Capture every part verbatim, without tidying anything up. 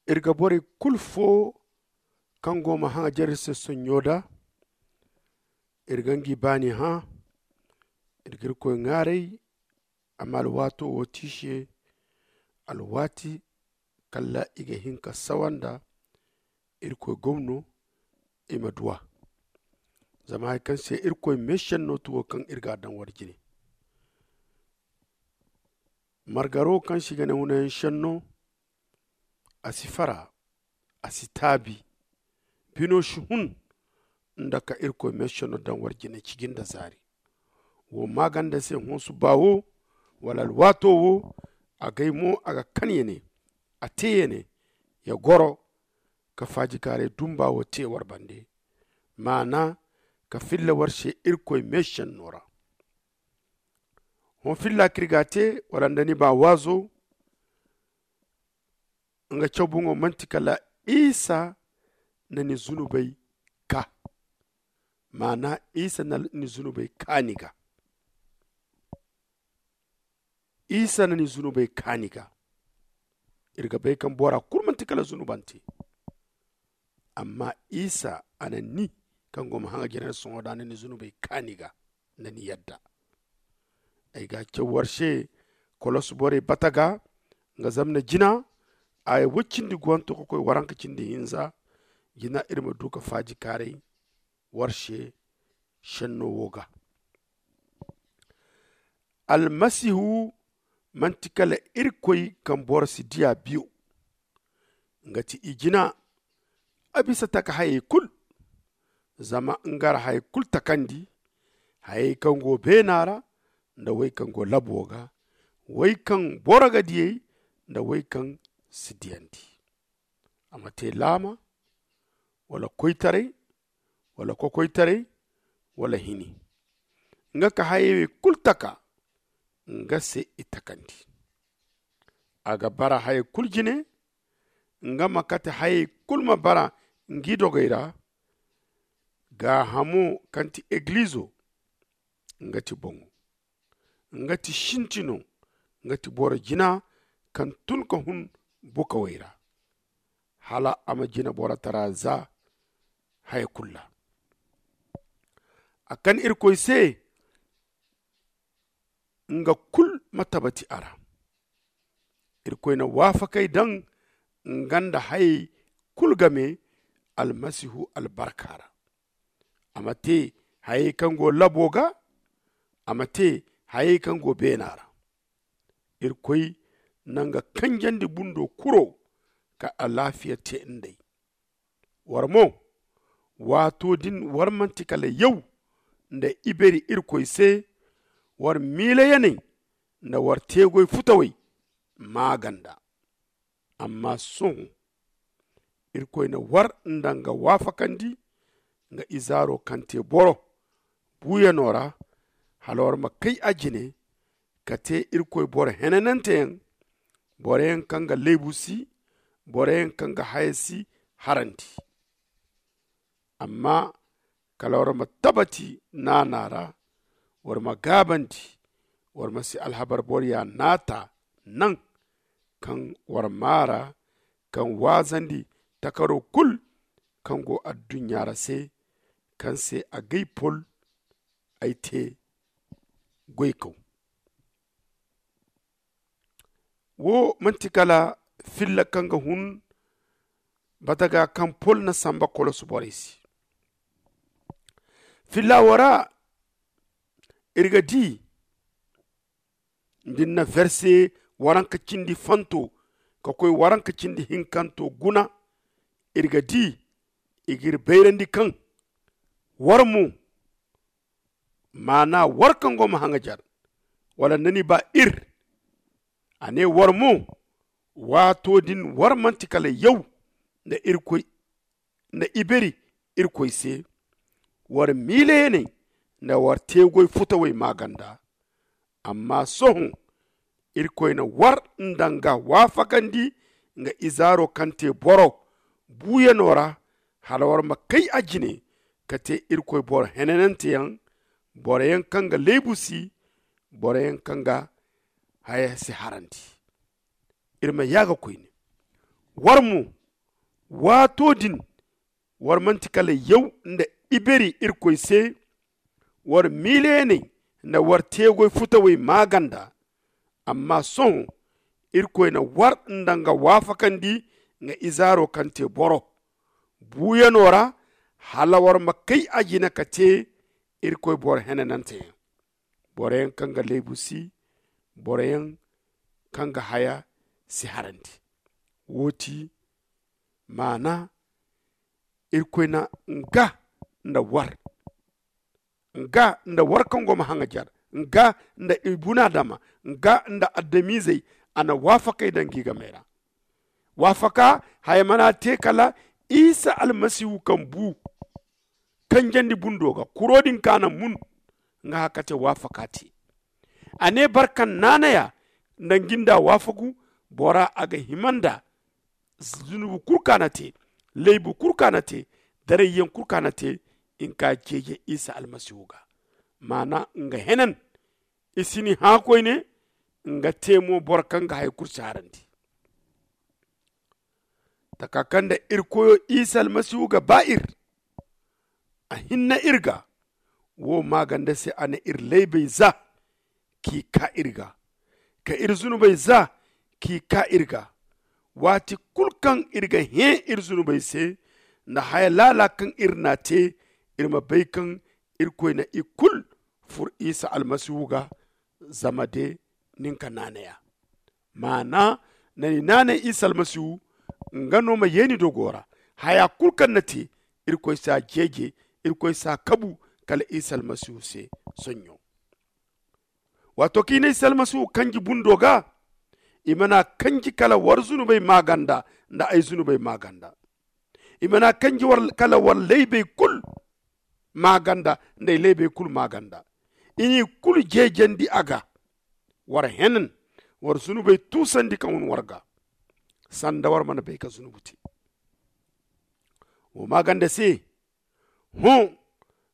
Iri ga borey kulu foo kaŋ go ma haŋajer iri se sonɲo da. Iri ga ngi baani hã. Iri ga irkoy ŋaaray. Amma alwaato wo ti i se alwaati kala i ga hin ka sawa nda irkoy gomno i ma duw'a. Zama hari kaŋ se irkoy meesenno ti wo kaŋ iri ga a daŋ war jine. Margaro kaŋ se i ga ne hunayaŋ senno, a si fara, a si taabi. Bino si hun nda ka irkoy meesenno daŋ war jine ciji nda zaari. Wo maaganda se hõ suba wo wala alwaato wo, agay mo a ga kan ya ne, a te ya ne, ya goro ka faajikaaray dumba wo te war bande. Maana ka filla war se irkoy meesenno ra. Hõ filla kaŋ iri ga a te wala nda ni ba waazo, nga caw boŋo manti kala isa na ni zunubey kaa. Maana isa na ni zunubey kaa ni ga. Isa na ni zunubey kaa ni ga. Iri ga bay kaŋ bora kulu manti kala zunubante. Amma isa a na ni kaŋ go ma haŋa jina nda sohõ da a na ni zunubey kaa ni ga nda ni yadda. Ay ga a caw war se kolos borey bata ga nga zamna jina, aya woy cindi guwanto ka koy waranka cindi hinza. Jina iri ma du ka faajikaaray war se senno wo ga. Almasihu manti kala irkoy kaŋ boro si diya biyo. Nga ti i jina a bisa taka hayey kulu. Zama nga ra hayey kulu takandi, hayey kaŋ go beena ra nda wey kaŋ go labo ga, wey kaŋ boro ga diyey nda wey kaŋ si diyandi. A ma te laama wala koytaray wala kokoytaray wala hini. Nga ka hayey kulu taka nga se i takandi. A ga bara hayey kulu jine. Nga ma kate hayey kulu ma bara ngi dogey ra. Gaahamo kaŋ ti egilizo nga ti boŋo. Nga ti sintino. Nga ti boro jina kaŋ tun ka hun bukawey ra hala a ma jina borotara za haya kulu ra. A kan irkoy se nga kulu ma tabati a ra. Irkoy na waafakay daŋ nga nda hayey kulu game almasihu albarka ra. A ma te hayey kaŋ go labo ga. A ma te hayey kaŋ go beena ra. Irkoy na nga kanjandi bundo kuro ka alaafiya te nd'ey. War mo, waato din war manti kala yaw nda iberi irkoy se. War miila yaney nda war teegoy futawey maaganda. Amma sohõ irkoy na war nda nga waafakandi nga izaaro kaŋ te boro buuyano ra hala war ma kay a jine ka te irkoy boro henananteyaŋ, boroyaŋ kaŋ ga leebu si, boroyaŋ kaŋ ga haya si harandi. Amma kala war ma tabati naana ra, war ma gaabandi, war ma si alhabar boroya naata naŋ kaŋ war maara kaŋ waazandi takaro kulu kaŋ go adduɲɲa ra se, kaŋ se agay pol ay te goykaw. Wo manti kala filla kaŋ ga hun bataga kaŋ pol na samba kolosu borey se. Filla wo ra iri ga di nda iri na verse waranka cindi fanto ka koy waranka cindi hinkanto guna. Iri ga di i ga iri bayrandi kaŋ war mo maana war kaŋ go ma haŋajar wala nda ni ba ir. A ne war mo waato din war manti kala yaw nda irkoy nda iberi irkoy se. War miilayaney nda war teegoy futawey maaganda. Amma sohõ irkoy na war nda nga waafakandi nga izaaro kaŋ te boro buuyano ra hala war ma kay a jine ka te irkoy boro henananteyaŋ, boroyaŋ kaŋ ga leebu si, boroyaŋ kaŋ ga haya si harandi. Iri ma yaaga koyne. War mo, waato din, war manti kala yaw nda iberi Irkoy se, war miilayaney nda war teegoy futawey maaganda. Amma sohõ Irkoy na war nda nga waafakandi nga izaaro kaŋ te boro buuyano ra, hala war ma kay a jine ka te Irkoy boro henananteyaŋ, boroyaŋ kaŋ ga leebu si, boroyaŋ kaŋ ga haya si harandi. Wo ti maana, Irkoy na nga nda war nga nda war kaŋ go ma haŋajar, nga nda ibuna adama, nga nda adamizey, a na waafakey daŋ gi ga meera. Waafaka haya mana te kala isa almasihu kaŋ bu kanjandi bundo ga kuro din kaŋ a na mun, nga haka te waafaka te. A ne barkan naanaya nda nginda waafagu bora a ga himanda zunubu kulu kaŋ a na te, laybu kulu kaŋ a na te, darayyaŋ kulu kaŋ a na te, nga ka jeeje isa almasihu ga. Maana nga henan i si ni hã koyne. Nga te mo boro kaŋ ga hay kulu si harandi. Taka kaŋ nda iri koyo isa almasihu ga ba iri, a hinna iri ga. Wo maaganda se a na iri laybey za k'i ka iri ga, ka iri zunubey za k'i ka iri ga. Waati kulu kaŋ iri ga hẽ iri zunubey se nda haya laala kaŋ iri n'a te, iri ma bay kaŋ irkoy na i kulu fur isa almasihu ga. Zama de nin ka naanaya maana na ni naanay isa almasihu. Nga no ma ye ni dogo ra haya kulu kaŋ na te. Irkoy s'a jeeje, irkoy s'a kabu kala isa almasihu se. Soɲɲo waato kaŋ i na isa almasihu kanji bundo ga, i mana kanji kala war zunubey maaganda nda ay zunubey maaganda. I mana kanji kala war laybey kulu maaganda nda ay laybey kulu maaganda. I n'i kulu jeejandi a ga. War henan war zunubey tuusandi ka hun war ga sanda war mana bay ka zunubu te. Wo maaganda se hõ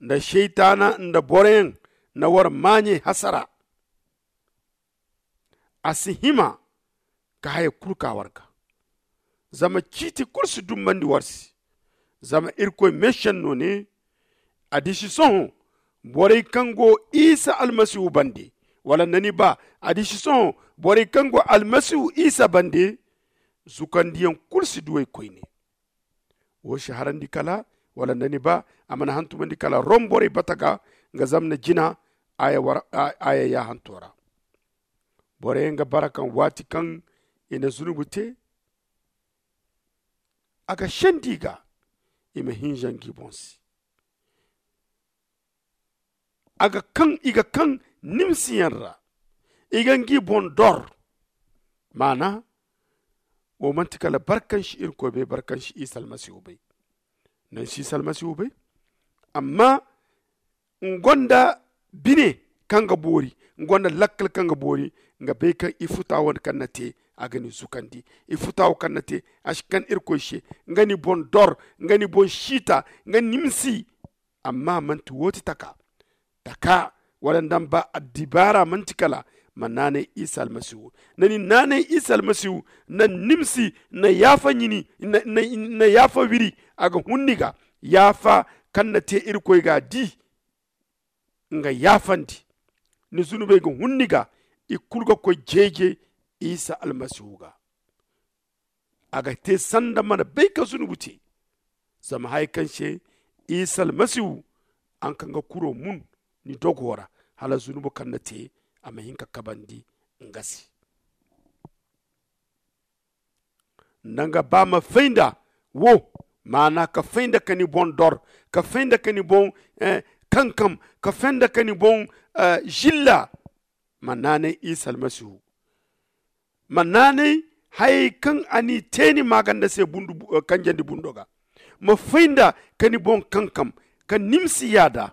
nda seytaana nda boroyaŋ na war maaɲey hasara. A si hima ka haya kulu ka war ga. Zama ciiti kulu si dumbandi war se. Zama irkoy meesenno ne, a disi sohõ borey kaŋ go isa almasihu bande, wala nda ni ba, a disi sohõ borey kaŋ go almasihu isa bande, zukandiyaŋ kulu si duw'ey koyne. Wo si harandi kala wala nda ni ba, a mana hantumandi kala rom borey bata ga nga zamna jina aya yaahanto ra. Boroyaŋ ga bara kaŋ waati kaŋ i na zunubu te, a ga sendi i ga i ma hinza ngi boŋ se. A ga kaŋ i ga kaŋ nimsiyaŋ ra, i ga ngi boŋ dor. Maana wo manti kala barkansi irkoy bay, barkansi isa almasihu bay. Nansi isa almasihu bay. Amma nga gonda bine kaŋ ga boori, nga gonda lakkal kaŋ ga boori. Nga bay kaŋ i futa wo kaŋ na te, a ga ni zukandi. I futa wo kaŋ na te, a si kan irkoy se. Nga ni boŋ dor, nga ni boŋ siita, nga nimsi. Amma manti wo ti taka taka wala nda ni ba addibaara manti kala ma naanay isa almasihu. Na ni naanay isa almasihu, na nimsi, na yaafa ɲini, na yaafa wiri. A ga hun ni ga yaafa kaŋ na te irkoy ga di. Nga yaafandi ni zunubey ga hun ni ga. I kulu ga koy jeeje isa almasihu ga. A ga te sanda mana bay ka zunubu te. Zama haya kaŋ se isa almasihu a nga kaŋ ga kuro mun ni dogo ra, hala zunubu kaŋ na te a ma hin ka kabandi nga se. Nda nga ba ma fay nda wo, maana ka fay nda ka ni boŋ dor, ka fay nda ka ni boŋ kankam, ka fay nda ka ni boŋ zilla. Ma naanay isa almasihu. Ma naanay hayey kaŋ a n'i te ni maaganda se kanjandi bundo ga. Ma fay nda ka ni boŋ kankam, ka nimsi yaada.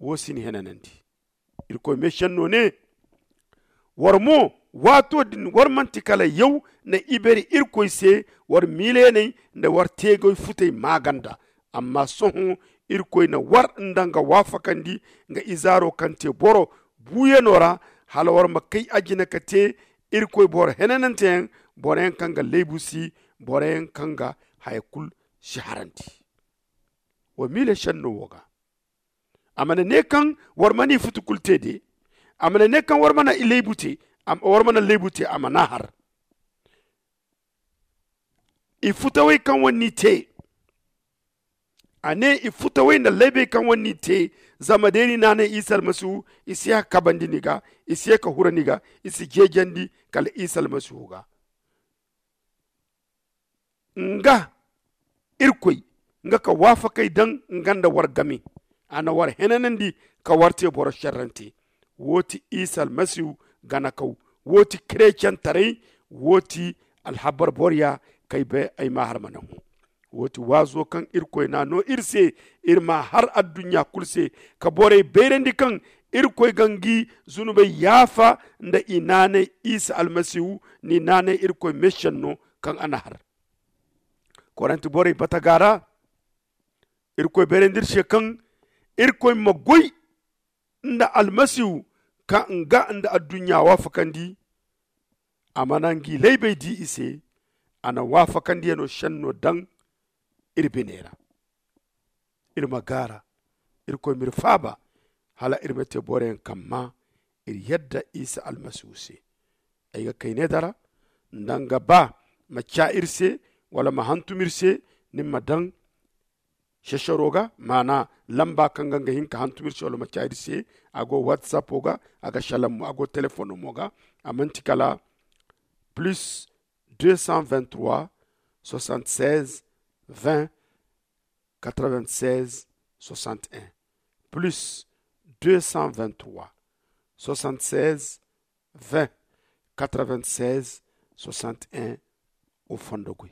Wo si ni henanandi. Irkoy meesenno ne, war mo, waato din war manti kala yaw na iberi irkoy se war miilayaney nda war teegoy futey maaganda. Amma sohõ irkoy na war nda nga waafakandi nga izaaro kaŋ te boro buuyano ra, hala war ma kay a jine ka te irkoy boro henananteyaŋ. boro yaŋ kaŋ ga laybu si, boro yaŋ kaŋ ga haya kulu si harandi. Wa miila senno wo ga, a mana ne kaŋ war mana i futu kulu te de, a mana ne kaŋ war mana laybu te, war mana laybu te a mana har. I futawey kaŋ war n'i te, a ne i futawey nda laybey kaŋ war n'i te, zama day ni naanay isa almasihu, i si ye ka kabandi ni ga, i si ye ka hura ni ga, i si jeejandi kala isa almasihu ga. Nga irkoy, nga ka waafakey daŋ nga nda war game, a na war henanandi ka war te boro šerrante. Wo ti isa almasihu ganakaw. Wo ti kerecentarey. Wo ti alhabar boroya kay bay ay ma har mana hõ. Wo ti waazo kaŋ irkoy n'a no iri se, iri ma har adduɲɲa kulu se, ka borey bayrandi kaŋ irkoy ga ngi zunubey yaafa nda i naanay isa almasihu, n'i naanay irkoy meesenno kaŋ a na har. Korinti borey bataga ra, irkoy bayrandi iri se kaŋ irkoy ma goy nda almasihu, ka nga nda adduɲɲa waafakandi. A mana ngi laybey di i se. A na waafakandiyaŋo senno daŋ iri biney ra. Iri ma gaara, irkoy m'iri faaba, hala iri ma te boroyaŋ kaŋ ma iri yadda isa almasihu se. Ay ga kay ne dara nda nga ba ma ca iri se, wala ma hantum iri se, ni ma daŋ sesero ga, maana lamba kaŋ ga nga hin ka hantum iri se wala ma ca iri se. A go whatsapp ga, a ga salam mo, a go telefoŋ mo ga. A manti kala plus deux cent vingt-trois soixante-seize vingt quatre-vingt-seize soixante-un, plus deux cent vingt-trois soixante-seize vingt quatre-vingt-seize soixante-un. O fondo goy.